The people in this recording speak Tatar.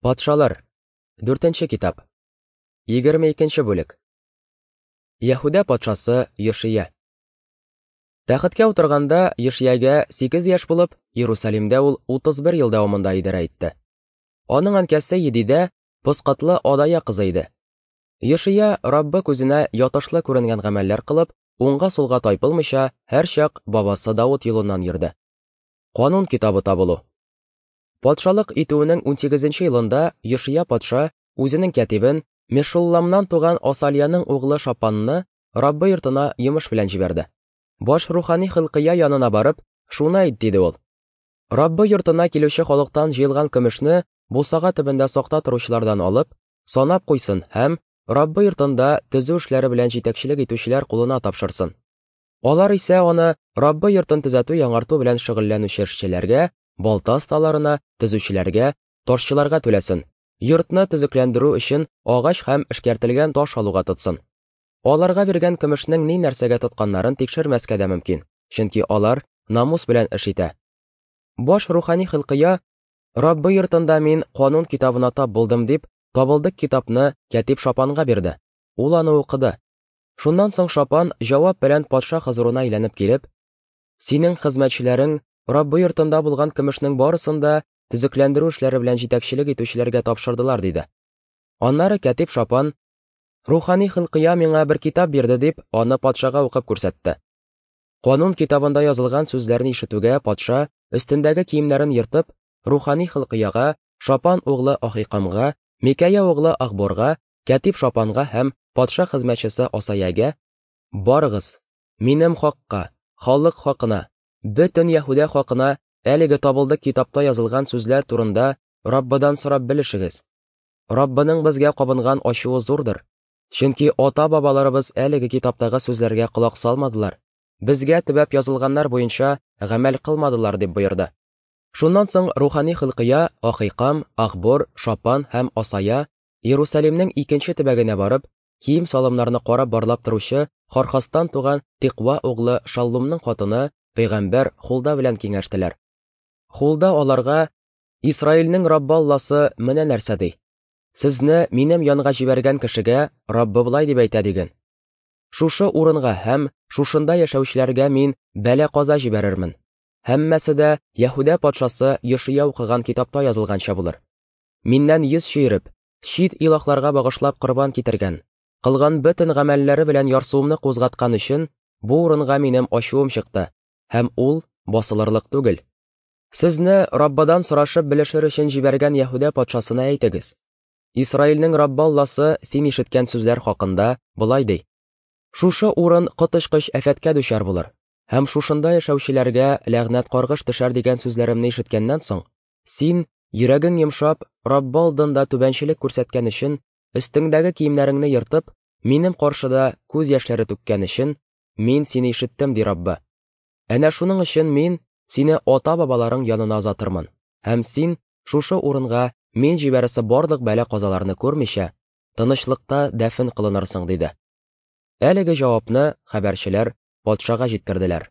Патшалар. Дүртенче китап. 22 бүлек. Яһүдә патшасы Йошия. Тәхеткә утырганда Йошиягә 8 яшь булып, Иерусалимдә ул 31 ел дәвамында идарә итте. Аның әнкәсе Едидә Поскатлы Адая кызы иде. Йошия Раббы күзенә ятышлы күренгән гамәлләр кылып, уңга-сулга тайпылмыйча, һәрчак бабасы Давыт юлыннан йөрде. Канун китабы табылу. Патшалык итүенең унсигезенче елында Йошия патша үзенең кятибен, Мешулламнан туган Асалияның углы Шапанны Раббы йортына йомыш белән җибәрде. Баш рухани Хилкыя янына барып, шуны әйт, диде ул. Раббы йортына килүче халыктан җыелган көмешне бусага төбендә сакта торучылардан алып, санап куйсын һәм Раббы йортында төзү эшләре белән җитәкчелек итүчеләр кулына тапшырсын. Алар исә аны Раббы йортын төзәтү-яңарту белән шөгыльләнүче эшчеләргә, балта осталарына, төзүчеләргә, ташчыларга түләсен, йортны төзекләндерү өчен агач һәм эшкәртелгән таш алуга тотсын. Аларга биргән көмешнең ни нәрсәгә тотканнарын тикшермәскә дә мөмкин, чөнки алар намус белән эш итә. Баш рухани Хилкыя, Раббы йортында мин канун китабына тап булдым дип, табылдык китапны кятип Шапанга бирде. Ул аны укыды. Шуннан соң Шапан җавап белән патша хозурына әйләнеп килеп, Синең хезмәтчеләрең Раббы йортында булган көмешнең барысын да төзекләндерү эшләре белән җитәкчелек итүчеләргә тапшырдылар, диде. Аннары кятип Шапан, Рухани Хилкыя миңа бер китап бирде, дип, аны патшага укып күрсәтте. Канун китабында язылган сүзләрне ишетүгә патша, өстендәге киемнәрен ертып, рухани Хилкыяга, Шапан углы Ахикамга, Микәя углы Ахборга, Кятип Шапанга һәм патша хезмәтчесе Асаягә, Барыгыз, минем хакка, халык хакына, бөтен Яһүдә хакына әлеге табылдык китапта язылган сүзләр турында Раббыдан сорап белешегез. Раббының безгә кабынган ачуы зурдыр, чөнки ата-бабаларыбыз әлеге китаптагы сүзләргә колак салмадылар, безгә төбәп язылганнар буенча гамәл кылмадылар, дип боерды. Шуннан соң рухани Хилкыя, Ахикам, Ахбор, Шапан һәм Асая Иерусалимнең икенче төбәгенә барып, кием-салымнарны карап-барлап торучы Хархастан туган Тиква углы Шаллумның хатыны пәйгамбәр Хулда белән киңәштеләр. Хулда аларга, Исраилнең Раббы Алласы менә нәрсә ди: Сезне минем янга җибәргән кешегә Раббы болай дип әйтә диген. Шушы урынга һәм шушында яшәүчеләргә мин бәла-каза җибәрермен. Һәммәсе дә Яһүдә патшасы Йошия укыган китапта язылганча булыр. Миннән йөз чөереп, чит илаһларга багышлап корбан китергән, кылган бөтен гамәлләре белән ярсуымны кузгаткан өчен, бу урынга минем ачуым чыкты, һәм ул басылырлык түгел. Сезне Раббыдан сорашып белешер өчен җибәргән Яһүдә патшасына әйтегез. Исраилнең Раббы Алласы син ишеткән сүзләр хакында болай ди. Шушы урын коточкыч афәткә дучар булыр, һәм шушында яшәүчеләргә ләгънәт-каргыш төшәр дигән сүзләремне ишеткәннән соң, Син, йөрәгең йомшап, Раббы алдында түбәнчелек күрсәткән өчен, өстеңдәге киемнәреңне ертып, минем каршыда күз яшьләре түккән өчен, мин сине ишеттем, ди Раббы. Әнә шуның өчен мин сине ата-бабаларың янына озатырмын, һәм син шушы урынга мин җибәрәсе барлык бәла-казаларны күрмичә, тынычлыкта дәфен кылынырсың, диде. Әлеге җавапны хәбәрчеләр патшага җиткерделәр.